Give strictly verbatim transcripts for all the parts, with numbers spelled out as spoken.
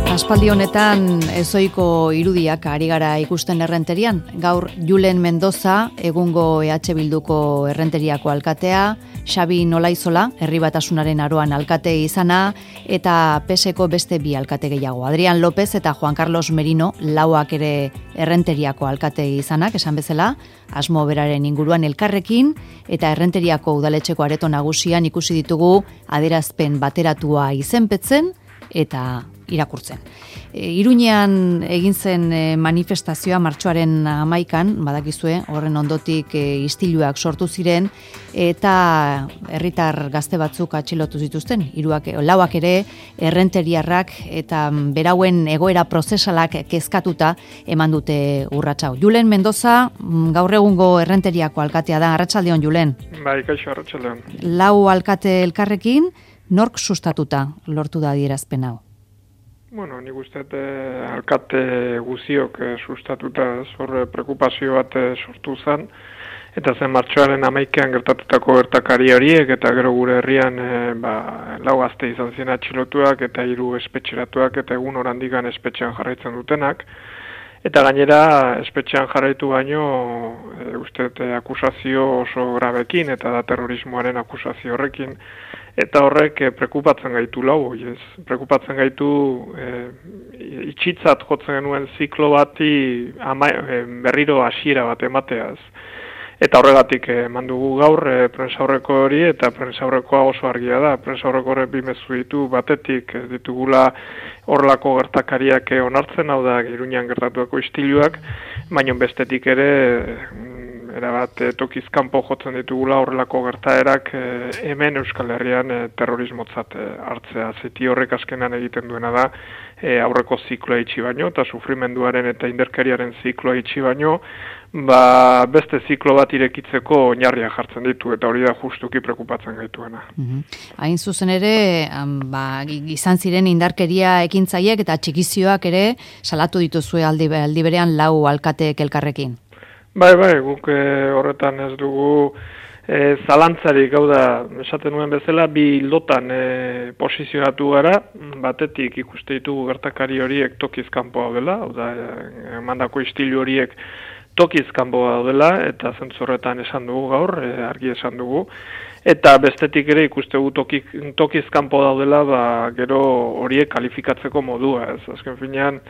Aspaldi honetan ezoiko irudiak ari gara ikusten errenterian. Gaur Julen Mendoza, egungo E H Bilduko errenteriako alkatea, Xabi Nolaizola, Herri Batasunaren Aroan alkate izana, eta P S ko beste bi alkate gehiago. Adrian López eta Juan Carlos Merino, lauak ere errenteriako alkate izanak, esan bezala, asmo beraren inguruan elkarrekin, eta errenteriako udaletxeko areto nagusian ikusi ditugu adierazpen bateratua izenpetzen, eta irakurtzen. E, Iruñean egin zen e, manifestazioa martxoaren hamaikan, badakizue, horren ondotik e, istiluak sortu ziren, eta herritar gazte batzuk atxilotu zituzten, hiruak, lauak ere errenteriarrak eta berauen egoera prozesalak kezkatuta eman dute urratsa. Julen Mendoza, gaur egungo errenteriako alkatea da. Arratsaldeon, Julen. Bai, kaixo, arratsaldeon. Lau alkate elkarrekin, nork sustatuta lortu da adierazpen hau? Bueno, nik uste eh, alkate guziok eh, sustatuta zorre preokupazio bat eh, sortu zen, eta zen martxoaren hamaikean gertatutako gertakari horiek, eta gero gure herrian eh, ba, lau gazte izan ziren atxilotuak, eta hiru espetxeratuak, eta egun orandikan espetxean jarraitzen dutenak. Eta gainera, espetxean jarraitu baino, e, uste e, akusazio oso grabekin, eta da terrorismoaren akusazio horrekin, eta horrek e, prekupatzen gaitu lau, ez? Prekupatzen gaitu e, itxitzat jotzen genuen ziklo bati ama, e, berriro hasiera bat emateaz. Eta horregatik eman dugu gaur e, prensaurreko hori, eta prensaurrekoa oso argia da. Prensaurreko horrek bi mezu ditu, batetik ez ditugula horrelako gertakariak onartzen, hau da Iruñean gertatuako istiluak, baina bestetik ere erabat tokiz kanpo jotzen ditugula horrelako gertaerak hemen Euskal Herrian terrorismotzat hartzea. Zeti horrek azkenan egiten duena da aurreko zikloa itxi baino, eta sufrimenduaren eta inderkeriaren zikloa itxi baino, ba, beste ziklo bat irekitzeko oinarria jartzen ditu, eta hori da justuki prekupatzen gaituena. Mm-hmm. Hain zuzen ere, ba, izan ziren indarkeria ekintzaiek eta txikizioak ere salatu dituzue aldi, aldi berean lau alkateek elkarrekin. Bai, bai, guk eh, horretan ez dugu eh, zalantzarik, hau da, esaten nuen bezala, bi lotan eh, posizionatu gara, batetik ikuste ditugu gertakari horiek tokiz kanpo daudela, hau da, emandako istilu horiek tokiz kanpo daudela, eta zentzorretan esan dugu gaur, eh, argi esan dugu, eta bestetik ere ikuste dugu tokiz, tokiz kanpo daudela, ba, gero horiek kalifikatzeko modua, ez, azken finean,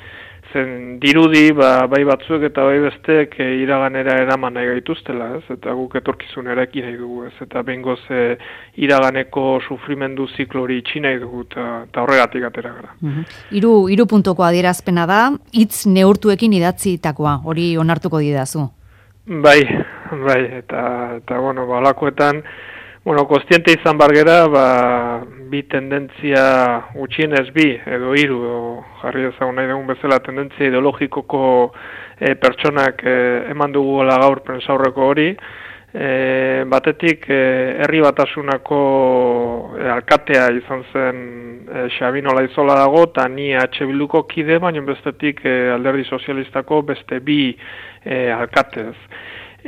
zen dirudi, ba, bai batzuek eta bai besteek e, iraganera eraman nahi gaituztela, ez? Eta guk etorkizunera ekin nahi dugu, ez? Eta bengoz e, iraganeko sufrimendu ziklo hori itxi nahi dugu, eta horregatik atera gara. Mm-hmm. Hiru, hiru puntoko adierazpena da, hitz neurtuekin idatzitakoa, hori onartuko didazu. Bai, bai, eta, eta bueno, balakoetan, bueno, kostiente izan bargera, ba, bi tendentzia gutxienez bi, edo hiru, jarri ezagun nahi dugun bezala tendentzia ideologikoko e, pertsonak e, eman dugula gaur prensaurreko hori, e, batetik e, Herri Batasunako e, alkatea izan zen e, Xabi Nolaizola dago, eta ni E H Bilduko kide, baina bestetik e, Alderdi Sozialistako beste bi e, alkatez.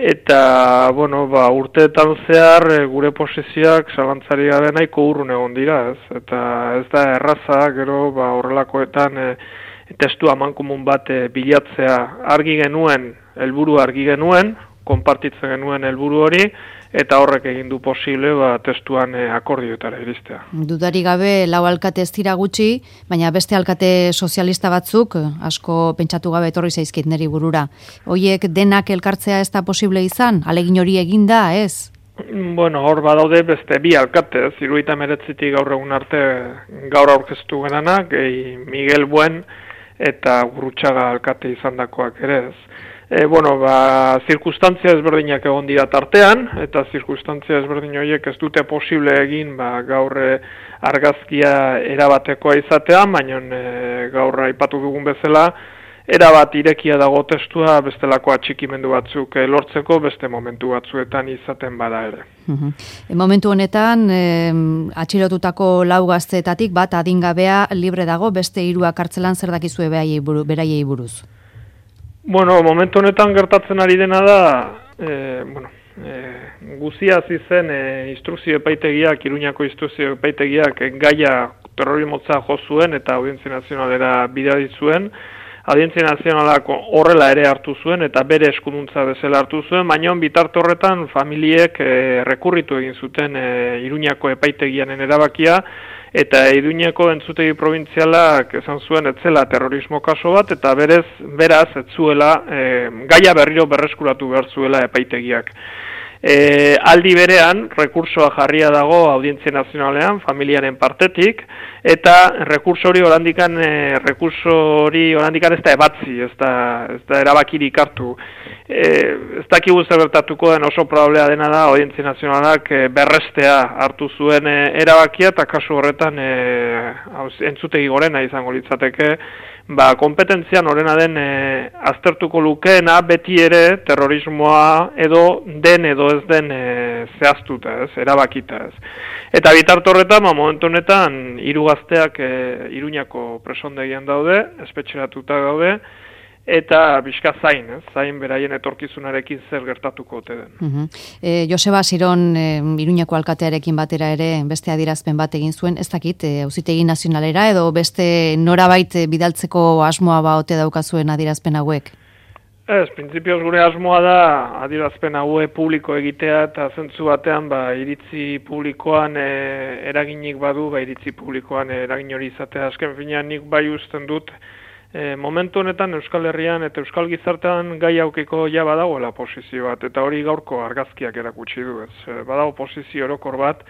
Eta, bueno, ba, urteetan zehar e, gure posizioak zalantzari gabe nahiko urrun egon dira, ez? Eta ez da erraza, gero, ba, horrelakoetan e, testu amankomun bat e, bilatzea argi genuen, helburu argi genuen, konpartitzen genuen helburu hori, eta horrek egin du posible ba, testuan e, akordioetara iristea. Dudari gabe lau alkate ez dira gutxi, baina beste alkate sozialista batzuk asko pentsatu gabe etorri zaizkit niri burura. Hoiek denak elkartzea ez da posible izan? Alegin hori eginda, ez? Bueno, hor badaude beste bi alkate, hirurogeita hemeretzitik gaur egun arte gaur aurkeztu genanak, gehi Miguel Buen eta Gurrutxaga alkate izandakoak ere ez. E, bueno, ba, zirkustantzia ezberdinak egon dira tartean, eta zirkustantzia ezberdin horiek ez dute posible egin ba, gaur e, argazkia erabatekoa izatea, baina e, gaur aipatu dugun bezala, erabat irekia dago testua bestelako atxikimendu batzuk e, lortzeko, beste momentu batzuetan izaten bada ere. Uhum. E, momentu honetan, e, atxilotutako lau gazteetatik bat adingabea libre dago, beste hiruak kartzelan zer dakizue beraiei buruz? Bueno, momentu honetan gertatzen ari dena da, e, bueno, e, guzia hasi zen e, instrukzio epaitegiak, Iruñako instrukzio epaitegiak gaia terrorismotza jo zuen eta Audientzia Nazionalera bidali zuen. Audientzia Nazionalak horrela ere hartu zuen eta bere eskuduntza bezala hartu zuen, baina bitarte horretan familiek e, rekurritu egin zuten e, Iruñako epaitegianen erabakia, eta Iruñako entzutegi probintzialak esan zuen etzela terrorismo kaso bat, eta berez, beraz, etzuela e, gaia berriro berreskuratu behar zuela epaitegiak. E, aldi berean, rekursoa jarria dago Audientzia Nazionalean, familiaren partetik, eta rekurso hori orandikan, e, rekurso hori orandikan ez da ebatzi, ez da, ez da erabakirik hartu. E, ez dakigu zer gertatuko den, oso probablea dena da Audientzia Nazionalak e, berrestea hartu zuen e, erabakia, eta kasu horretan e, entzutegi gorena izango litzateke, ba, kompetentzian horrena den e, aztertuko lukeena beti ere terrorismoa edo den edo ez den e, zehaztuta, ez, erabakita, ez. Eta bitarte horretan, ba, momentu honetan, hiru gazteak e, Iruñako presondegian daude, espetxeratuta daude, eta bizka zain, ez, zain beraien etorkizunarekin zer gertatuko ote den. Uh-huh. e, Joseba Siron e, Iruñako alkatearekin batera ere beste adierazpen bat egin zuen, ez dakit, e, Auzitegi Nazionalera edo beste norabait bidaltzeko asmoa ba ote daukazuen adierazpen hauek? Ez, printzipioz gure asmoa da adierazpen haue publiko egitea eta zentzu batean ba, iritzi publikoan e, eraginik badu, ba, iritzi publikoan e, eragin hori izatea. Azken finean nik bai usten dut, E, momentu honetan Euskal Herrian eta Euskal Gizartean gai aukiko ja badagoela posizio bat, eta hori gaurko argazkiak erakutsi du, ez. E, badago posizio orokor bat,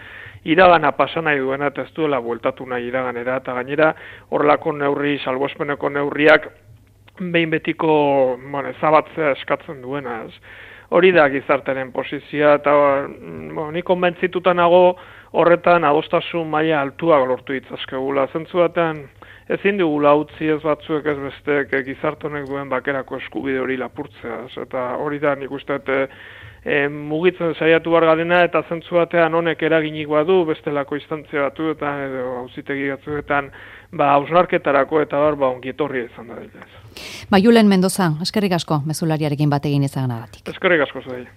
iragana pasa nahi duena eta ez duela bueltatu nahi iraganera, eta gainera horrelako neurri, salbuespeneko neurriak behin betiko bueno, ezabatzea eskatzen duena, ez. Hori da gizartaren posizioa, eta bueno, ni konbentzituta nago horretan adostasun maila altuak lortu ditzakegula. Zentzu batean, ezin dugula utzi ez batzuek ez besteek gizarte honek duen bakerako eskubide hori lapurtzea, eta hori da nik uste e, e, mugitzen saiatu behar garena, eta zentzu batean honek eraginik badu bestelako instantzia batuetan edo auzitegi batzuetan ba hausnarketarako eta bar ba ongi etorria izan da dira. Ba Julen Mendoza, eskerrik asko mezulariarekin bat egin izanagatik. Eskerrik asko zuei.